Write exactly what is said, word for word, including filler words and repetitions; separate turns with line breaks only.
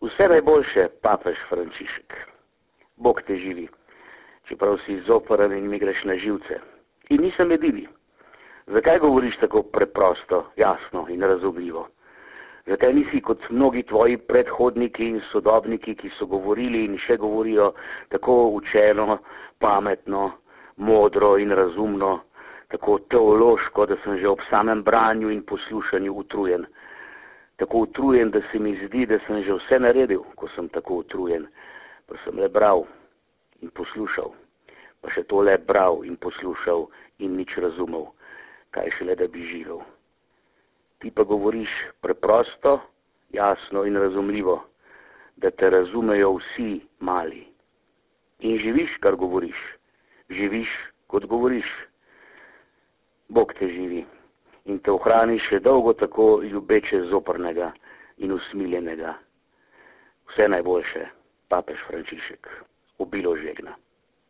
Vse najboljše, papež Frančišek. Bog te živi, čeprav si zoporen in mi greš na živce. In nisem edini. Zakaj govoriš tako preprosto, jasno in razumljivo? Zakaj nisi kot mnogi tvoji predhodniki in sodobniki, ki so govorili in še govorijo tako učeno, pametno, modro in razumno, tako teološko, da sem že ob samem branju in poslušanju utrujen. Tako utrujen, da se mi zdi, da sem že vse naredil, ko sem tako utrujen. Pa sem le bral in poslušal, pa še to le bral in poslušal in nič razumel, kaj šele da bi živel. Ti pa govoriš preprosto, jasno in razumljivo, da te razumejo vsi mali. In živiš, kar govoriš. Živiš, kot govoriš. Bog te živi in te ohrani še dolgo tako ljubeče zoprnega in usmiljenega. Vse najboljše, papež Frančišek. Obilo žegna.